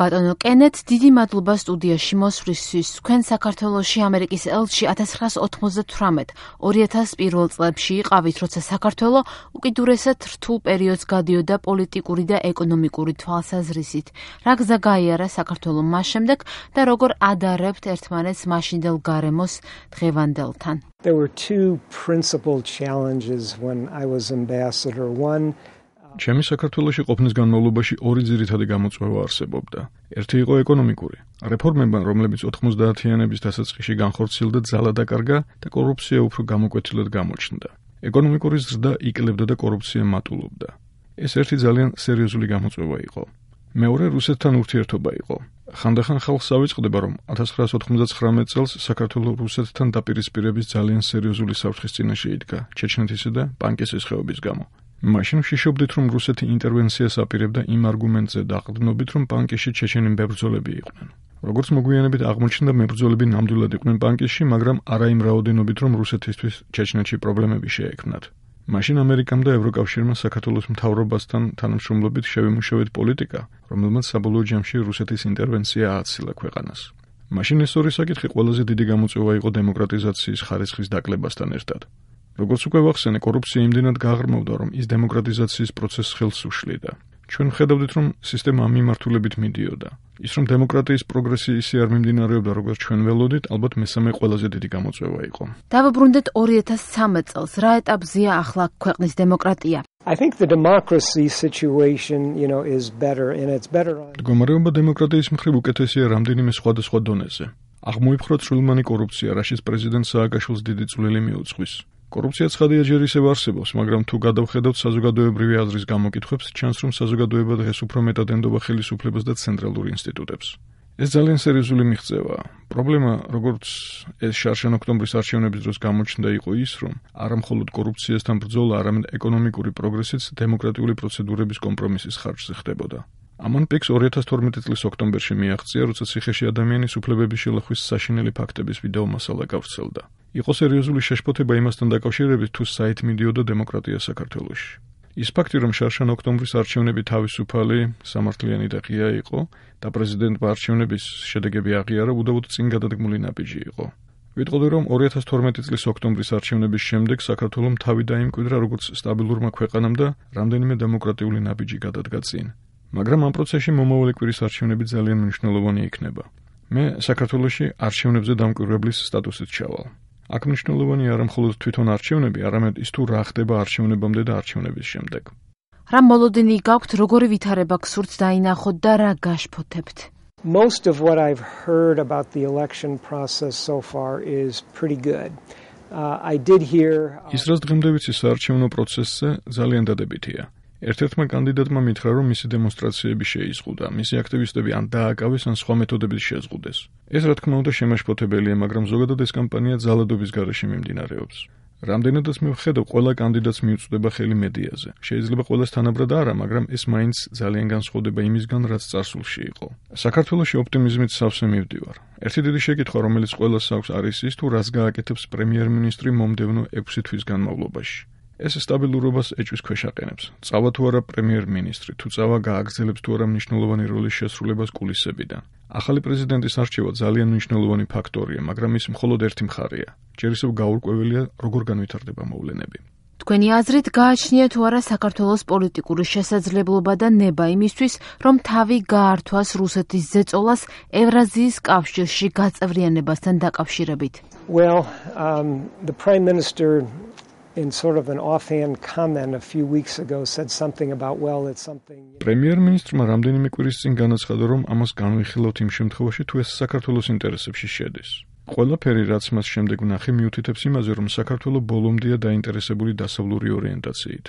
ბატონო კენეთ, დიდი მადლობა სტუდიაში მოსვლისთვის. თქვენ საქართველოში ამერიკის ელჩი 1998-2001 წლებში იყავით, როცა საქართველო უკიდურესად რთულ პერიოდს გადიოდა პოლიტიკური და ეკონომიკური თვალსაზრისით. რა გზა გაიარა საქართველომ მას შემდეგ და როგორ ადარებთ ერთმანეთს მაშინდელ გარემოს დღევანდელთან? There were two principal challenges when I was ambassador. One ჩემი საქართველოში ყოფნის განმავლობაში ორი ძირითადი გამოწვევა არსებობდა. ერთი იყო ეკონომიკური. რეფორმებმა, რომლებიც 90-იანების დასაწყისში განხორციელდა, ძალა დაკარგა და კორუფცია უფრო გამოკვეთილად გამოჩნდა. ეკონომიკური ზრდა იკლებდა და კორუფცია მატულობდა. ეს ერთი ძალიან სერიოზული გამოწვევა იყო. მეორე რუსეთთან ურთიერთობა იყო. ხანდახან ხალხს ავიწყდება, რომ 1999 წელს საქართველოს რუსეთთან დაპირისპირების ძალიან სერიოზული საფრთხის წინაშე იდგა ჩეჩნეთისა და პანკისის ხეობის გამო. მაშინ ვშიშობდით, რომ რუსეთი ინტერვენციას აპირებდა იმ არგუმენტზე დაყრდნობით, რომ პანკისში ჩეჩენი მებრძოლები იყვნენ. როგორც მოგვიანებით აღმოჩნდა, მებრძოლები ნამდვილად იყვნენ პანკისში, მაგრამ არა იმ რაოდენობით, რომ რუსეთისთვის ჩეჩნეთში პრობლემები შეექმნათ. მაშინ ამერიკამ და ევროკავშირმა საქართველოს მთავრობასთან თანამშრომლობით შევიმუშავეთ პოლიტიკა, რომელმაც საბოლოო ჯამში რუსეთის ინტერვენცია ააცილა ქვეყანას. მაშინ ეს ორი საკითხი ყველაზე დიდი გამოწვევა იყო დემოკრატიზაციის ხარისხის დაკლებასთან ერთად. როგორც უკვე ვახსენე, კორუფცია იმდენად გაღრმავდა, რომ ის დემოკრატიზაციის პროცესს ხელს უშლიდა. ჩვენ ვხედავდით, რომ სისტემა ამ მიმართულებით მიდიოდა. ის რომ დემოკრატიის პროგრესი ისე არ მიმდინარეობდა, როგორც ჩვენ ველოდით, ალბათ მესამე ყველაზე დიდი გამოწვევა იყო. დავუბრუნდეთ 2013 წელს. რა ეტაპზეა ახლა ქვეყნის დემოკრატია? I think the democracy situation, is better and it's better on. მდგომარეობა დემოკრატიის მხრივ უკეთესია რამდენიმე სხვადასხვა დონეზე. აღმოიფხვრა წვრილმანი კორუფცია, რაშიც პრეზიდენტ სააკაშვილს დიდი წვლილი მიუძღვის. კორუფცია ცხადია ჯერ ისევ არსებობს, მაგრამ თუ გადავხედავთ საზოგადოებრივი აზრის გამოკითხვებს, ჩანს, რომ საზოგადოება დღეს უფრო მეტად ენდობა ხელისუფლებას და ცენტრალურ ინსტიტუტებს. ეს ძალიან სერიოზული მიღწევაა. პრობლემა, როგორც ეს შარშან ოქტომბრის არჩევნების დროს გამოჩნდა, იყო ის, რომ არა მხოლოდ კორუფციასთან ბრძოლა, არამედ ეკონომიკური პროგრესიც დემოკრატიული პროცედურების კომპრომისის ხარჯზე ხდებოდა. ამან პიკს 2012 წლის ოქტომბერში მიაღწია, როცა ციხეში ადამიანის უფლებების შელახვის საშინელი ფაქტების ვიდეო მასალა გავრცელდა. იყო სერიოზული შეშფოთება იმასთან დაკავშირებით, თუ საით მიდიოდა დემოკრატია საქართველოში. ის ფაქტი, რომ შარშან ოქტომბრის არჩევნები თავისუფალი, სამართლიანი და ღია იყო და პრეზიდენტმა არჩევნების შედეგები აღიარა, უდავოდ წინ გადადგმული ნაბიჯი იყო. ვიტყოდი, რომ 2012 წლის ოქტომბრის არჩევნების შემდეგ საქართველომ თავი დაიმკვიდრა როგორც სტაბილურმა ქვეყანამ და რამდენიმე დემოკრატიული ნაბიჯი გადადგა წინ. მაგრამ ამ პროცესში მომავალი კვირის არჩევნები ძალიან მნიშვნელოვანი იქნება. მე საქართველოში არჩევნებზე დამკვირვებლის სტატუსით ჩავალ. აქ მნიშვნელოვანი არა მხოლოდ თვითონ არჩევნები, არამედ ის თუ რა ხდება არჩევნებამდე და არჩევნების შემდეგ. რა მოლოდინი გაქვთ, როგორი ვითარება გსურთ დაინახოთ და რა გაშფოთებთ? Most of what I've heard about the election process so far is pretty good. I did hear ის რაც დღემდე ვიცი საარჩევნო პროცესზე ძალიან დადებითია. ერთ-ერთმა კანდიდატმა მითხრა, რომ მისი დემონსტრაციები შეიზღუდა, მისი აქტივისტები ან დააკავეს, ან სხვა მეთოდებით შეზღუდეს. ეს რა თქმა უნდა შემაშფოთებელია, მაგრამ ზოგადად ეს კამპანია ძალადობის გარეშე მიმდინარეობს. რამდენადაც მე ვხედავ, ყველა კანდიდატს მიუწვდება ხელი მედიაზე. შეიძლება ყველას თანაბრად არა, მაგრამ ეს მაინც ძალიან განსხვავდება იმისგან, რაც წარსულში იყო. საქართველოში ოპტიმიზმით სავსე მივდივარ. ერთი დიდი შეკითხვა, რომელიც ყველას აქვს, არის ის, თუ რას გააკეთებს პრემიერ-მინისტრი მომდევნო 6 თვის განმავლობაში. ეს სტაბილურობას ეჭვის ქვეშ აყენებს. წავა თუ არა პრემიერ-მინისტრი, თუ წავა გააგრძელებს თუ არა მნიშვნელოვანი როლის შესრულებას კულისებიდან. ახალი პრეზიდენტის არჩევა ძალიან მნიშვნელოვანი ფაქტორია, მაგრამ ის მხოლოდ ერთი მხარეა. ჯერ ისევ გაურკვეველია, როგორ განვითარდება მოვლენები. თქვენი აზრით გააჩნია თუ არა საქართველოს პოლიტიკური შესაძლებლობა და ნება იმისთვის, რომ თავი გაართვას რუსეთის ზეწოლას ევრაზიის კავშირში გაწევრიანებასთან დაკავშირებით? Well, the Prime Minister in sort of an offhand comment a few weeks ago said something about it's something. პრემიერ-მინისტრმა რამდენიმე კვირის წინ განაცხადა, რომ ამას განვიხილავთ იმ შემთხვევაში, თუ ეს საქართველოს ინტერესებში შედის. ყველაფერი, რაც მას შემდეგ ვნახე, მიუთითებს იმაზე, რომ საქართველო ბოლომდეა დაინტერესებული დასავლური ორიენტაციით.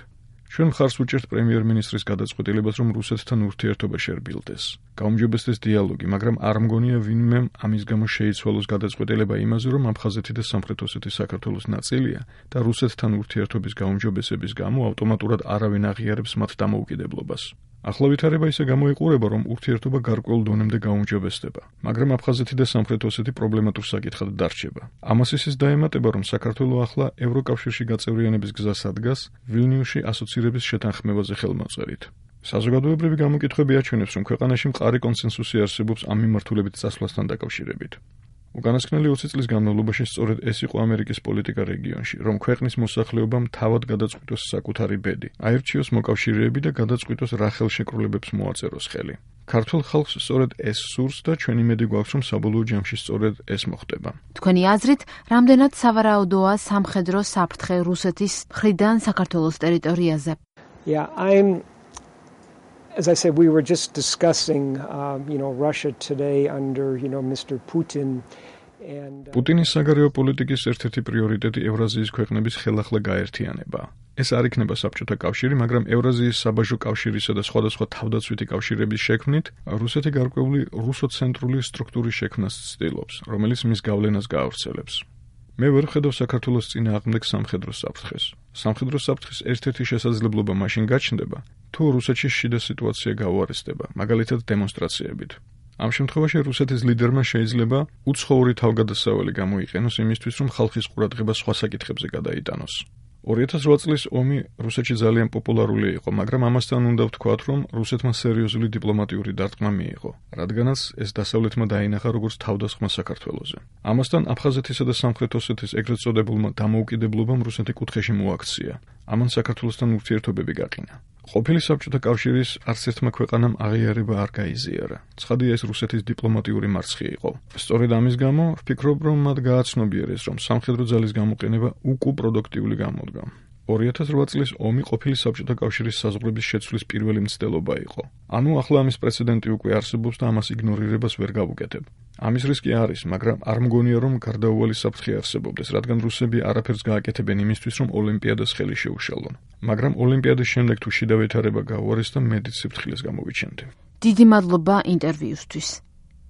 ჩვენ მხარს ვუჭერთ პრემიერ-მინისტრის გადაწყვეტილებას, რომ რუსეთთან ურთიერთობა შერბილდეს. გაუმჯობესდეს დიალოგი, მაგრამ არ მგონია ვინმე ამის გამო შეიცვალოს გადაწყვეტილება იმაზე, რომ აფხაზეთი და სამხრეთ ოსეთი საქართველოს ნაწილია და რუსეთთან ურთიერთობის გაუმჯობესების გამო ავტომატურად არავინ აღიარებს მათ დამოუკიდებლობას. ახლა ვითარება ისე გამოიყურება, რომ ურთიერთობა გარკვეულ დონემდე გაუმჯობესდება, მაგრამ აფხაზეთი და სამხრეთ ოსეთი პრობლემატურ საკითხად დარჩება. ამას ისიც დაემატება, რომ საქართველო ახლა ევროკავშირში გაწევრიანების გზას ადგას ვილნიუსში ასოცირების შეთანხმებაზე ხელმოწერით. საზოგადოებრივი გამოკითხვები აჩვენებს, რომ ქვეყანაში მყარი კონსენსუსი არსებობს ამ მიმართულებით წასვლასთან დაკავშირებით. უკანასკნელი 20 წლის განმავლობაში სწორედ ეს იყო ამერიკის პოლიტიკა რეგიონში, რომ ქვეყნის მოსახლეობამ თავად გადაწყვიტოს საკუთარი ბედი, აირჩიოს მოკავშირეები და გადაწყვიტოს რა ხელშეკრულებებს მოაწეროს ხელი. ქართულ ხალხს სწორედ ეს სურს და ჩვენ იმედი გვაქვს, რომ საბოლოო ჯამში სწორედ ეს მოხდება. თქვენი აზრით, რამდენად სავარაუდოა სამხედრო საფრთხე რუსეთის მხრიდან საქართველოს ტერიტორიაზე? Yeah, as I said, we were just discussing, Russia today under, Mr. Putin. პუტინის საგარეო პოლიტიკის ერთ-ერთი პრიორიტეტი ევრაზიის ქვეყნების ხელახლა გაერთიანებაა. ეს არ იქნება საბჭოთა კავშირი, მაგრამ ევრაზიის საბაჟო კავშირისა და სხვადასხვა თავდაცვითი კავშირების შექმნით რუსეთი გარკვეული რუსოცენტრული სტრუქტურის შექმნას ცდილობს, რომელიც მის გავლენას გაავრცელებს. მე ვერ ვხედავ საქართველოს წინააღმდეგ სამხედრო საფრთხეს. სამხედრო საფრთხის ერთ-ერთი შესაძლებლობა მაშინ გაჩნდება, თუ რუსეთში შიდა სიტუაცია გაუარესდება, მაგალითად დემონსტრაციებით. ამ შემთხვევაში რუსეთის ლიდერმა შეიძლება უცხოური თავგადასავალი გამოიყენოს იმისთვის, რომ ხალხის ყურადღება სხვა საკითხებზე გადაიტანოს. 2008 წლის ომი რუსეთში ძალიან პოპულარული იყო, მაგრამ ამასთან უნდა ვთქვათ, რომ რუსეთმა სერიოზული დიპლომატიური დარტყმა მიიღო, რადგანაც ეს დასავლეთმა დაინახა როგორც თავდასხმა საქართველოზე. ამასთან აფხაზეთისა და სამხრეთ ოსეთის ეგრეთ წოდებულმა დამოუკიდებლობამ რუსეთი კუთხეში მოაქცია. ამან საქართველოსთან ურთიერთობები გაყინა. ყოფილი საბჭოთა კავშირის არც ერთმა ქვეყანამ აღიარება არ გაიზიარა. ცხადია, ეს რუსეთის დიპლომატიური მარცხი იყო. სწორედ ამის გამო ვფიქრობ, რომ მათ გააცნობიერეს, რომ სამხედრო ძალის გამოყენება უკუპროდუქტიული გამოდგა. 2008 წლის ომი ყოფილი საბჭოთა კავშირის საზღვრების შეცვლის პირველი მცდელობა იყო. ანუ ახლა ამის პრეცედენტი უკვე არსებობს და ამას იგნორირებას ვერ გავუკეთებ. ამის რისკი არის, მაგრამ არ მგონია, რომ გარდაუვალი საფრთხე არსებობდეს, რადგან რუსები არაფერს გააკეთებენ იმისთვის, რომ ოლიმპიადას ხელი შეუშალონ. მაგრამ ოლიმპიადის შემდეგ თუ შიდა ვითარება გაუარესდა, მედიც სიფრთხილეს გამოვიჩენთ. დიდი მადლობა ინტერვიუსთვის.